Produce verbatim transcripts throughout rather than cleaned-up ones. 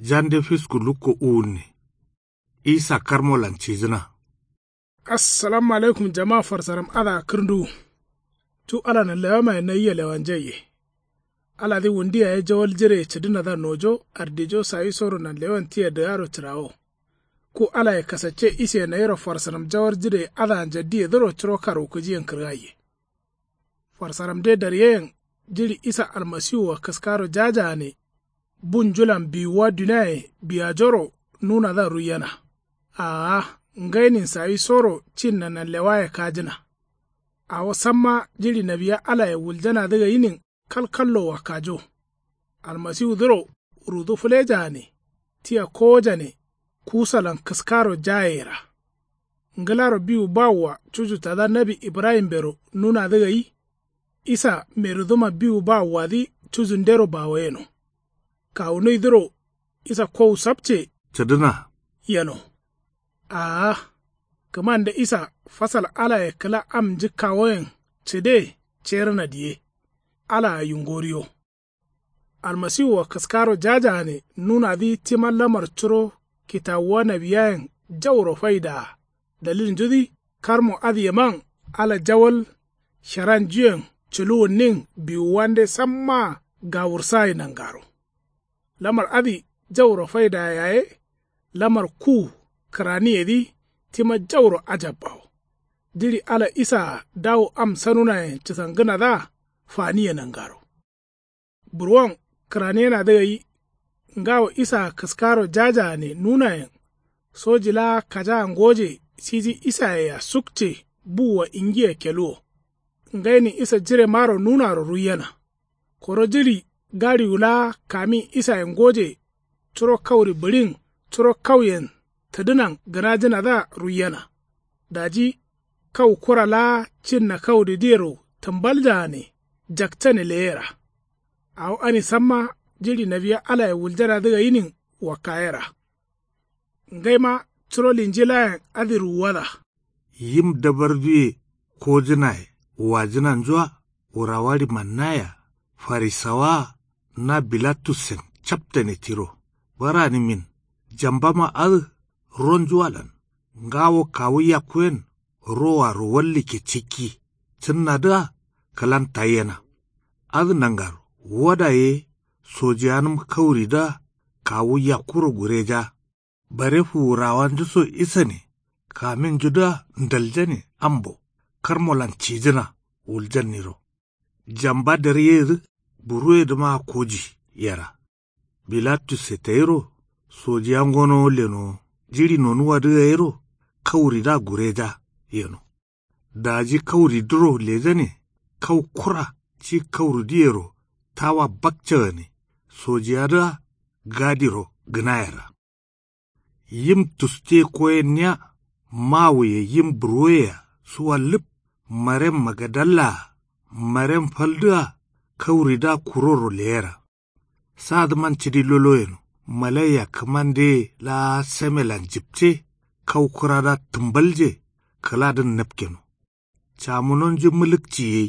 Jande fisku lukko uwunne. Isa karmolan cijǝna. Assalamu alaikum jama farsaram adǝa kǝrnduwu. Cu ala nanlewamaye nayia lewanjaiye. Aladǝ wundu yaye jawal jireye cǝdǝnadǝa nojo ardijo sawisoro nanlewan tia dǝgaro cǝrawo. Ku alaye kasacce isiye nayiro farsaram jawal jireye adǝa njaddiyedǝro curo karwukǝjiyen kǝrgaiye. Farsaramde daryeyen jiɍi isa almasiwua kǝskaro jajagane. Bu njulan biwuwa duniaye biyajoro nunadǝa ruiyena. Aa ngainin sawisoro cinna nanlewaye kajǝna. Awo samma jiɍi nawiya alaye wuljanadǝ gainin kalkallo wakkajo. Almasiwudǝro rudu fǝlejagane tia kowojane kusalan kǝskaro jayeyera. Ngǝlaro biwu bawua cuju tada nawi ibrahimbero nunadǝ gai. Isa meruduma biwu bawuwadǝ cujundero bawo yeno. Kawunuidǝro isa kowu sapce cǝdǝna yeno. Aa kǝmande isa fasal alaye kǝla am njǝkkawoyen cǝde cerǝna diye. Alaa yungoriyo. Almasiwua kǝskaro jajagane nunadǝ tima lamar curo kitawuwa nawiyayen jauro faidaa. Dalilnjudǝ karmo adǝyeman ala jawal sharanjuyen culuwunnin biwuwande sammaa gawursagai nangaro. Lamar adǝ jauro faidaa yaye lamar ku kǝraniyedǝ tima jauro ajabbawo. Jiɍi ala isaa dawu am sanunayen cǝsangǝnadǝa faniye nangaro. Burwon kǝraniyenadǝ gai. Ngawo isaa kǝskaro jajagane nunayen soji laa kajaa ngoje siji isayea sukce buwua ingiya keluwo. Ngainin isa jiremaro nunaro ruiyena. Koro jiɍi gaɍiwu laa kamin isaye ngoje curo kauri bǝɍin curo kauyen tǝdǝnan gǝnajǝnadǝa ruiyena. Daji kau kura laa cinna kauridǝyero tǝmbaljagane jakcane leyera. Awo ani samma jiɍi nawiya alaye wuljanadǝ gainin wakkayera. Ngaima curo linjilayen adǝ ruwuwada. Yim dabarduye kojǝnaye wajǝnanjua wurawa ɍimannaya farisawaa na bilatussen captane tiro. Baranǝmin jambama adǝ ronjuwalan ngawo kawu yakkuyen roaro wallikke cikki cǝnnadǝa kǝlan taiyena. Adǝ nangaro wada ye sojiyanǝm kauridǝa kawu yakkuro gureja. Bare fuwurawanjuso isane kaminjudǝa ndaljane ambo karmolan cijǝna wuljanniro. Jamba daryeyedǝ buruwedǝmaa koji yera. Bilatusse tayiro sojiya ngonowo lenowo jiɍi nonuwadǝ gairo kauridǝa gureja yeno. Daji kauridǝro lejane kau kura ci kauridǝyero tawa bakcagane sojiyadǝa gadiro gǝnayera. Yim tuste koyenniya mawuye yim burwoyea suwa lǝp. Marem magadallaa marem faldǝa kauridǝa kuroro leyera. Sadǝman cidi lolo yeno malaiya kǝmandeye laa semelan jipce kau kuradǝa tǝmbalje kǝladǝn napkeno. Camunonju mǝlǝkci gai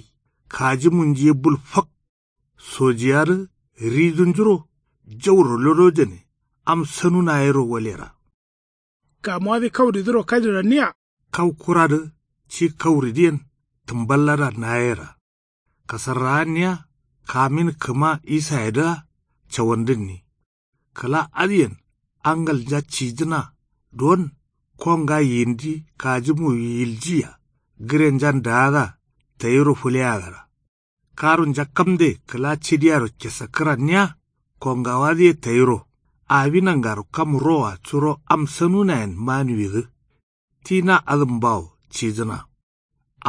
kajimunju ye bul fak. Sojiyadǝ ridunjuro jauro lodojane am sanuna yero walera. Kamuwadǝ kauridǝro kajiranniya kau kuradǝ ci kauridǝyen tǝmballadǝa nayera. Kasarrawanniya kamin kǝma isayedǝa cawandǝnni. Kǝla adǝyen angalnja cijǝna don konga yindi kajimu yiljiya gǝrenjan daadǝa tayiro fǝleyagara. Karunja kamde kǝla cidiyaro kesakkǝranniya kongawadǝye tayiro. Awi nangaro kam roa curo am sanunayen manuwidǝ. Ti na adǝmbawo cijǝna.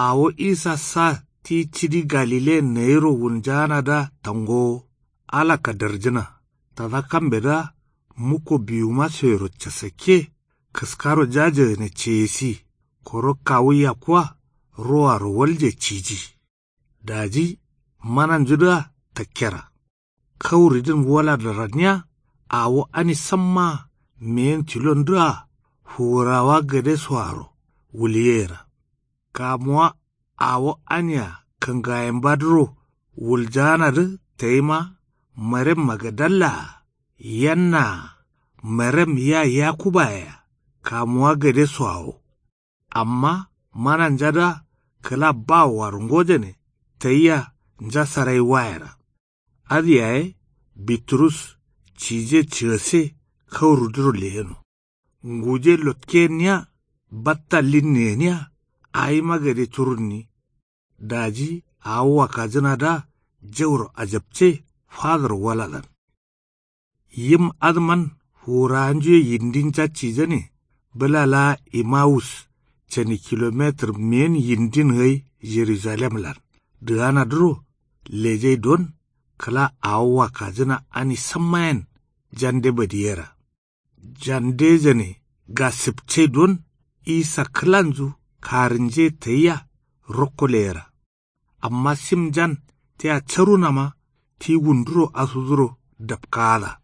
Awo isa sa ti cidi galileyen nayiro wunjaanadǝa tangowo ala kadarjǝna. Tada kambedǝa mukko biwuma soyero casakke kǝskaro jajagǝne ceyesi. Koro kawu yakkua roaro walje ciji. Daji mananjudǝa takkera. Kauridǝn wala daranniya awo ani sammaa meyen tilondǝa fuwurawa gadesoaro wuliyera. Kamuwa awo ania kǝngayembadǝro wuljaanadǝ tayima marem magadallaa yannaa Merem ya yakubaye-a kamuwa gadesoawo. Amma mananjadǝa kǝla bawoaro ngojane tayia njasarai wayera. Adǝ yaye biturus cije cǝgase kauridǝro leyeno. Nguje lotke gǝnniya batta linni gǝniya. Awima gade curunni. Daji awo wakkajǝnadǝa jauro ajapce fadoro walalan. Yim adǝman fuwurawanjuye yindin jacijane bǝla laa emawus cani kilometir meyin yindin gai jerujalemlan dǝganadǝro lejai don. Kǝla awo wakkajǝna ani sammayen jande badiyera. Jandejane gasǝpcai don isa kǝlanju karǝnje tayia rokko leyera. Amma simjan tia carunama ti wunduro asuduro dapkaada.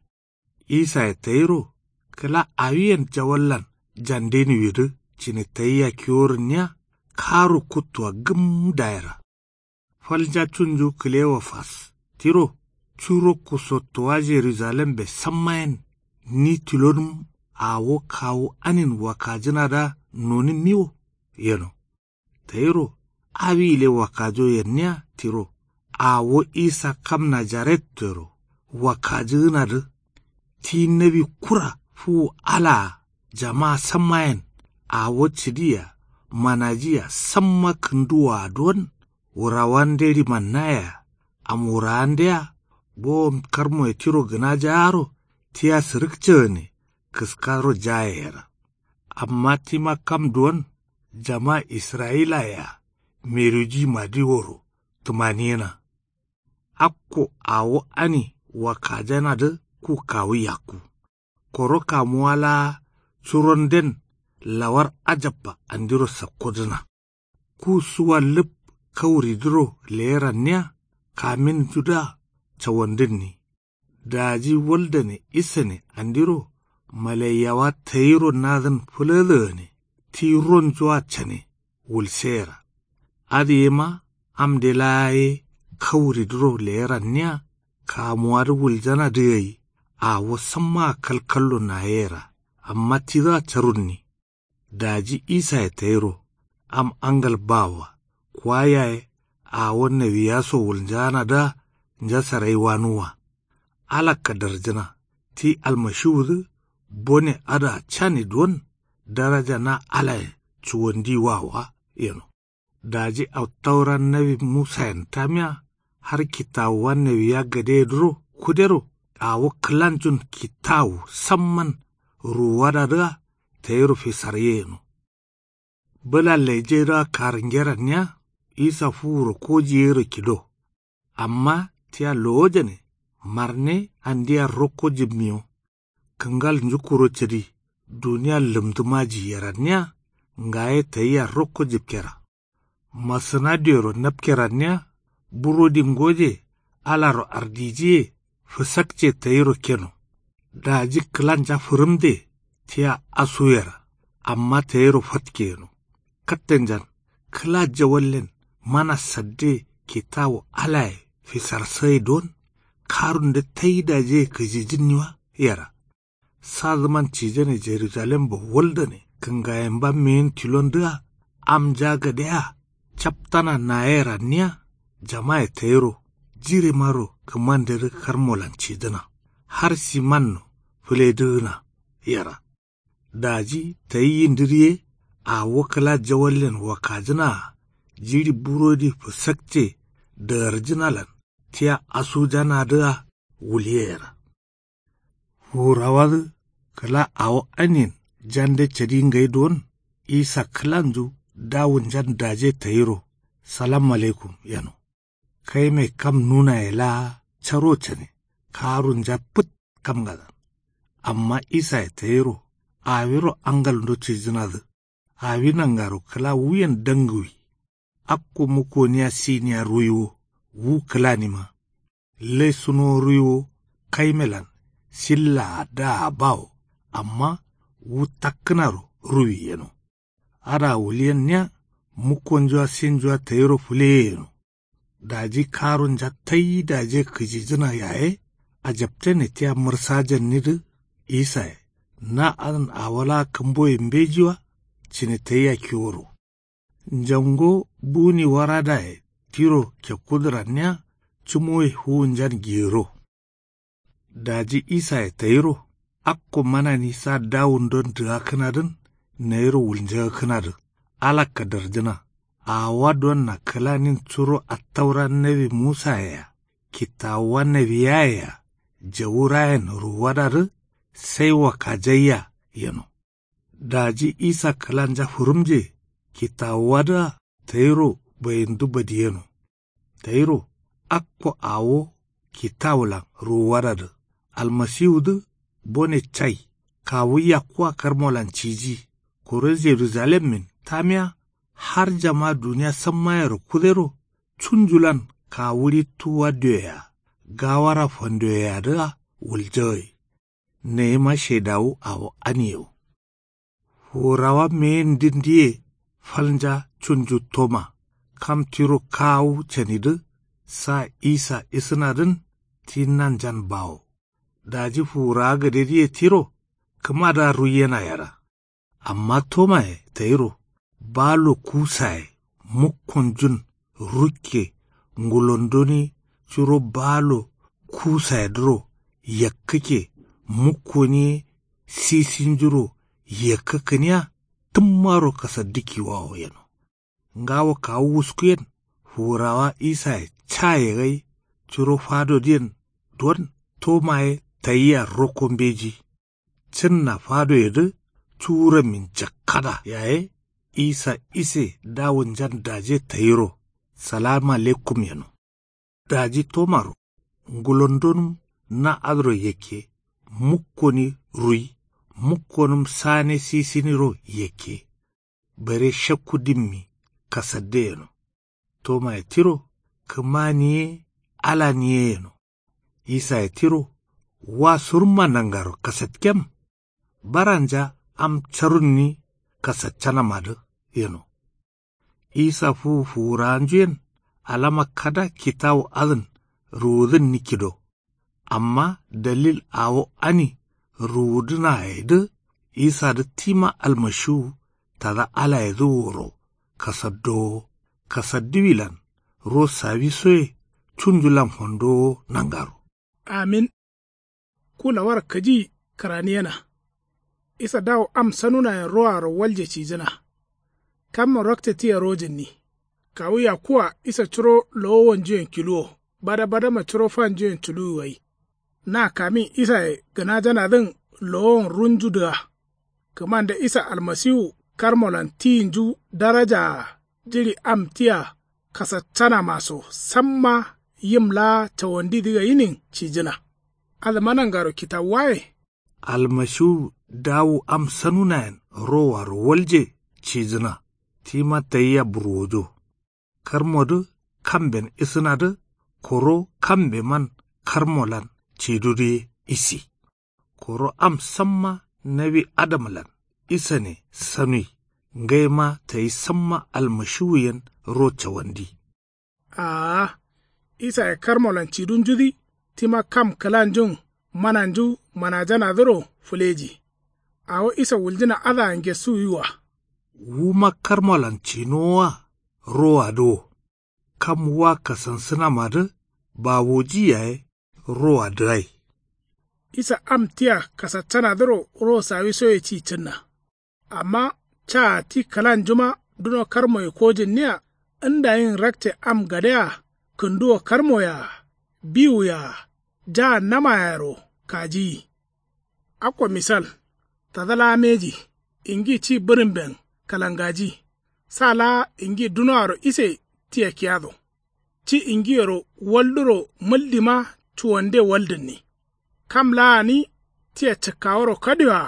Isaye tayiro kǝla awiyen jawallan jandeniwidǝ cǝni tayia kiworǝnniya karu kuttua gǝm dayera. Falnja cunju kǝlewa fas tiro curo kusottowa jerujalembe sammayen ni tilonǝm awo kawu anin wakkajǝnadǝa nonǝmmiwo yeno. Tayiro awi gǝle wakkajo yenniya tiro awo isa kam najarettoyero wakkajǝgǝnadǝ ti nawi kura fuwu alaa jamaa sammayen awo cǝdiya manajiya samma kǝnduwoa don. Wurawande ɍimannayea am wurawandea bowom karmoye tiro gǝnajaaro tia sǝrǝkcegǝne kǝskaro jayeyera. Amma tima kam duwon jama israyilayea merujimadiworo tǝmaniyena. Akko awo ani wakkajanadǝ ku kawu yakku. Koro kamuwa laa curonden lawar ajabba andiro sakkodǝna. Ku suwa lǝp kauridǝro leyeranniya kaminjudǝa cawandǝnni. Daji waldane isane andiro malaiyawa tayiro nadǝn fǝlǝdǝgane ti ronjua cane wulseyera. Adǝ yema amde laa ye kauridǝro leyeranniya kamuwadǝ wuljanadǝ gai awo sammaa kalkallo nayeyera. Amma tidǝa carunni. Daji isaye tayiro am angal bawoa kuwa yaye awo nawiyaso wulnjanadǝa njasarai wanuwwa. Ala kadarjǝna ti almashiwudǝ bone adǝa cani don daraja na alayen cuwandiwawoa yeno. Daji attaura nawi musayen tamiya har kitawuwa nawiya gadeyedǝro kudero awo kǝlanjun kitawu samman ruwuwadadǝa tayiro fisarye yeno. Bǝla lejai dǝa karǝngeranniya isa fuwuro kojiyero kido. Amma tia lowojane marne andia rokko jibmiyo. Kǝngal njukkuro cǝdi duniya lǝmdǝmaji yeranniya ngaye tayia rokko jibkera. Masǝna dioyero napkeranniya burodi ngoje alaro ardijiye fǝsakce tayiro keno. Daji kǝlanja fǝrǝmde tia asuyera amma tayiro fatkeyeno. Kattenjan kǝla jawallen mana sadde kitawu alaye fisarsagai don karunde tai dajiye kǝjijǝnniwa yera. Sadǝman cijane jerujalembo waldane kǝngayemba meyin tilondǝa amnja gadea captana nayeranniya jamaye tayiro jiremaro kǝmandedǝ karmolan cidǝna har simanno fǝledǝgǝna yera. Daji tayi yindǝdǝ ye awo kǝla jawallen wakkajǝnaa jiɍi burodi fǝsakce dǝgarjǝnalan tia asujanadǝa wuliyeyera. Fuwurawadǝ kǝla awo anin jande cadi ngai duwon isa kǝlanju dawunjan daje tayiro salam alaikum yeno. Kaime kam nunaye laa caro cane karunja fǝt kamngadan. Amma isaye tayiro awiro angalndo cijǝnadǝ awi nangaro kǝla wuyen dangǝwi. Akko mukoniya siniya ruwiwo wu kǝlanima. Lai sunowo ruwiwo kaimelan sillaa daa bawo amma wu takkǝnaro ruwi yeno. Adǝa wuliyenniya mukkonjua sinjua tayiro fǝleyeyeno. Daji karunja tai daje kǝjijǝna yaye ajaptene tia mǝrsajannidǝ isaye Na adǝn awo laa kǝmboye mbeji wa. Cǝne tayia kiworo. Njango buni waradaye tiro kekkudǝ ranniya. Cǝmoye fuwunjan giyero. Daji isaye tayiro. Akko manani sa dawundon dǝgakkǝnadǝn nayiro wulnjagakkǝnadǝ. Ala kadarjǝna. Awowa donna kǝlanin curo attaura nawi musayea kitawuwa nawiyaye-a jawurayen ruwuwadadǝ. Sai wakajaiya yeno. Daji isa kǝlanja fǝrǝmje kitawuwadǝa tayiro bayindu badiyeno. Tayiro akko awo kitawulan ruwuwadadǝ. Almasiwudǝ bone cai kawu yakkuwa karmolan ciji. Koro jerujalemmin tamiya har jama duniya sammayero kudero. Cunjulan kawu rittuwwa dioyea gawara fandoyeyadǝa wuljagai. Nayima shaidawu awo aniyewo. Fuwurawa meyendǝndiye falnja cunju toma. Kam tiro kawu canidǝ sa isa isǝnadǝn ti nanjan bawo. Daji fuwurawa gǝdedǝye tiro kǝmadǝa ruiyena yera. Amma tomaye tayiro balo kusaye mukkonjun rukke ngulondoni curo balo kusayedǝro yakkǝkke mukkoni ye sisinjuro yakkǝkkǝniya. Tǝmmaro kasaddu kiwawo yeno. Ngawo kawu wuskuyen fuwurawa isaye caye gai curo fadodǝyen don tomaye tayia rokko mbeji. Cǝnna fadoyedǝ cuwurammin jakkada yaye isa ise dawunjan daje tayiro. Salama lekkum yeno. Daji tomaro ngulondonǝm na adǝro yakke mukkoni ruyi mukkonǝm sane sisiniro yakke. Bare shakku dimmi kasadde yeno. Tomaye tiro kǝmani ye alani ye yeno. Isaye tiro wa surumma nangaro kasatkem. Baranja am carunni kasaccanamadǝ yeno. Isa fuwu fuwurawanjuyen alama kada kitawu adǝn ruwudǝnni kido. Amma dalil awo ani ruwudǝnayedǝ isadǝ tima almashiwu tada alayedǝ woro kasaddowo kasaddiwilan ro sawisoye cunjulan fandowo nangaro. Amin. Ku lawar kǝji kǝraniyena. Isa dawu am sanunayen roaro walje cijǝna. Kammo rakce tia rojǝnni. Kawu yakkuwa isa curo lowowonjuyen kiluwo bada badama curo fanjuyen culuwi gai. Na kamin isaye gǝnajanadǝn lowowon runju dǝga. Kǝmande isa almasiwu karmolan tiyinju darajaa jiɍi am tia kasaccanamaso samma yim laa cawandidǝ gainin cijǝna. Adǝma nangaro kitawuwaye. Almasiwu dawu am sanunayen roaro walje cijǝna. Tima tayia burwojo. Karmodǝ kamben isǝnadǝ koro kambeman karmolan cidudǝ ye isi. Koro am samma nawi adamlan isane sanui. Ngaima tayi samma almashiwuyen ro cawandi. Aa. Isaye karmolan cidunjudǝ tima kam kǝlanjun mananju manajanadǝro fǝleji. Awo isa wuljǝna adǝa ngesuwiwa. Wuma karmolan cinowoa rowadǝ wo. Kam wa kasansǝnamadǝ bawoji yaye rowadǝ gai. Isa am tia kasaccanadǝro ro sawisoye ci cǝnna. Amma caa ti kǝlanjuma duno karmoye kojǝnniya ndayin rakce am gadea kǝnduwo karmoyea biwuyea jaannamayero kajiyi. Akko misal tada laa mbeji ingi ci bǝrǝmben kalangaji. Sa laa ingi dunoaro ise tia kiyado. Ci ingiyero walduro mǝldima cuwande waldǝnni. Kam laa gǝni tia cǝkkaworo kadioa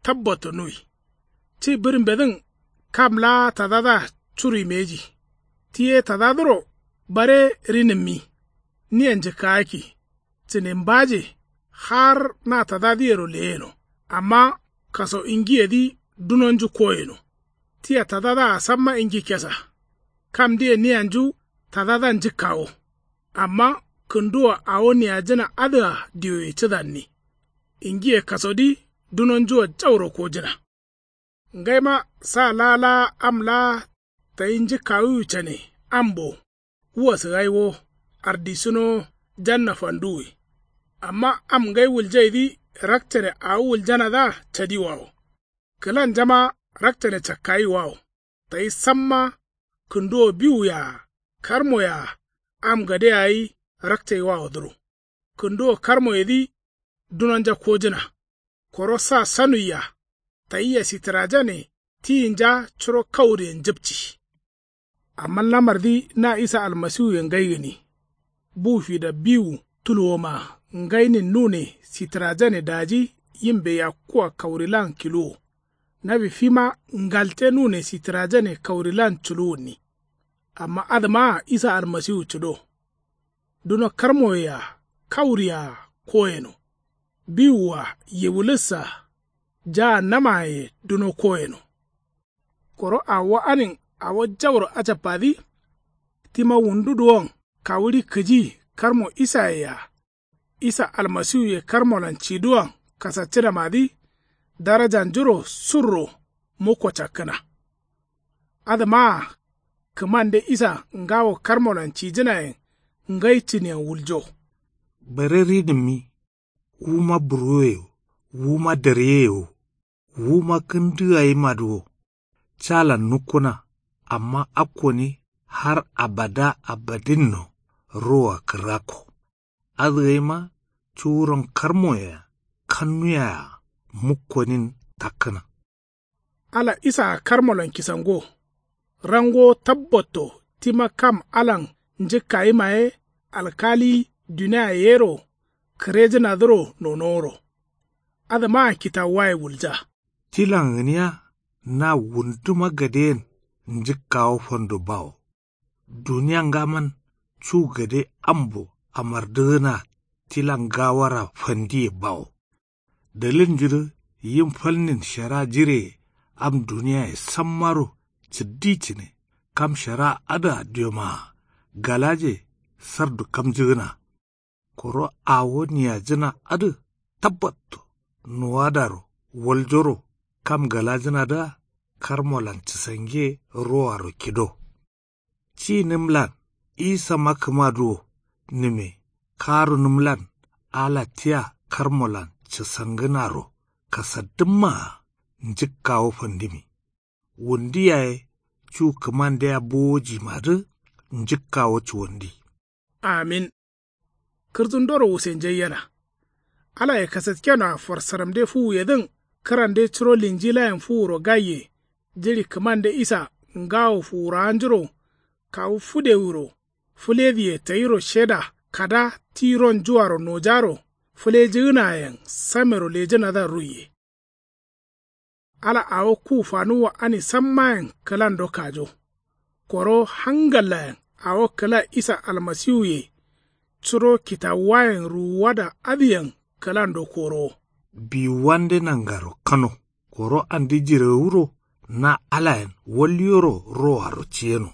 tabbattonuwi. Ci bǝrǝmbedǝn kam laa tadadǝa curui mbeji. Ti ye tadadǝro bare rinǝmmi. Nia njǝkkagakki. Cǝne mbaje har na tadadǝyero leyeno. Amma kaso ingiyedǝ dunonju koyeno. Tia tadadǝa samma ingi kesa. Kamdǝye niyanju tadadǝa njǝkkawo. Amma kǝnduwo awo niyajǝna adǝa dioye cǝdanni. Ingiye kasodǝ Dunonjuwa jauro kojǝna. Ngaima sa laa laa am laa tayi njǝkkawiwu cane ambo. Wua sǝgai wo. Ardisǝno janna fanduwi. Amma am ngai wuljaidǝ rakcane awo wuljanadǝa cadiwawo. Kǝlanjama rakcane cakkayiwawo. Tayi samma kǝnduwo biwuye-a karmoye-a am gade yayi rakcaiwawodǝro. Kǝnduwo karmoyedǝ dunonja kojǝna. Koro sa sanuiya. Tayia sittǝrajane tiyinja curo kauriyen njǝpci. Amma lamardǝ na isa almasiwuye ngai gǝni. Bu fida biwu tuluwoma ngainin nune sittǝrajane daji yimbe yakkua kaurilan kiluwo. Nawi fima ngalte nune sittǝrajane kaurilan culuwunni. Amma adǝmaa isa almasiwu cǝdo. Duno karmoye-a kauri-a koyeno. Biwu-a yiwulus-a. Jaa namaye duno koyeno. Koro awo anin awo jauro ajabbadǝ. Tima wundu duwon kawuɍi kǝji karmo isaye-a. Isa almasiwuye karmolan ciduwan kasaccǝnamadǝ darajanjuro surro mukko cakkǝna. Adǝmaa kǝmande isa ngawo karmolan cijǝnayen ngai cǝniyen wuljo. Bare ridǝmmi wuma burwoye wo wuma daryeye wo wuma kǝndǝgayimadǝ wo. Calan nukkuna amma akkoni har abada abadinno roa kǝrrakko. Adǝgaima cuwuron karmoye-a kannuye-a mukkonin takkǝna. Ala isaa karmolan kisango. Rangowo tabbatto tima kam alan njǝkkayima ye alkali duniaye yero kǝrejǝnadǝro nonoworo. Adǝmaa kitawuwaye wulja. Tilan gǝniya na wunduma gadeyen njǝkkawo fando bawo. Duniya ngaman cu gade ambo amardǝgǝna tilan gawara fandiye bawo. Dalilnjudǝ yim falnin shara jireye am duniyaye sammaro cǝddi cǝne kam shara adǝa diomaa galaje sardu kamjǝgǝna. Koro awo niyajǝna adǝ tabbatto nuwadaro waljoro kam galajǝnadǝa karmolan cǝsange roaro kido. Ci nǝmlan isama kǝmadǝ wo nǝme karu nǝmlan ala tia karmolan cǝsangǝnaro kasaddǝmmaa njǝkkawo fandǝmi. Wundi yaye cu kǝmandea bowojimadǝ njǝkkawo cuwandi. Amin. Kǝrtundoro wusenjaiyena. Alaye kasatkenoa farsaramde fuwuyedǝn kǝrande curo linjilayen fuwuro gaiye. Jiɍi kǝmande isa ngawo fuwurawanjuro kawu fǝdewiro fǝlediye tayiro sheda kada ti ronjuaro nojaro fǝlejǝgǝnayen samero lejǝnadǝa ruiye. Ala awo ku fanuwwa ani sammayen kǝlando kajo. Koro hangallayen awo kǝla isa almasiwuye curo kitawuwayen ruwuwada adǝyen kǝlando korowo. Biwuwande nangaro kano koro andi jirewuro na alayen walyoro roaro ciyeno.